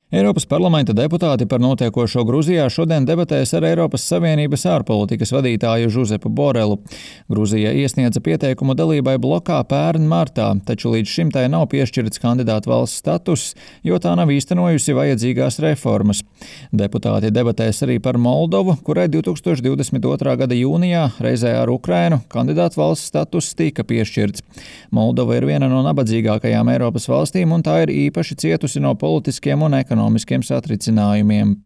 Eiropas parlamenta deputāti par notiekošo Gruzijā šodien debatēs ar Eiropas Savienības ārpolitikas vadītāju Žuzepu Borelu. Gruzija iesniedza pieteikumu dalībai blokā pērn martā, taču līdz šim tai nav piešķirts kandidātu valsts status, jo tā nav īstenojusi vajadzīgās reformas. Deputāti debatēs arī par Moldovu, kurai 2022. gada jūnijā reizē ar Ukrainu kandidātu valsts status tika piešķirts. Moldova ir viena no nabadzīgākajām Eiropas valstīm, un tā ir īpaši cietusi no politiskiem un ekonomiskiem satricinājumiem.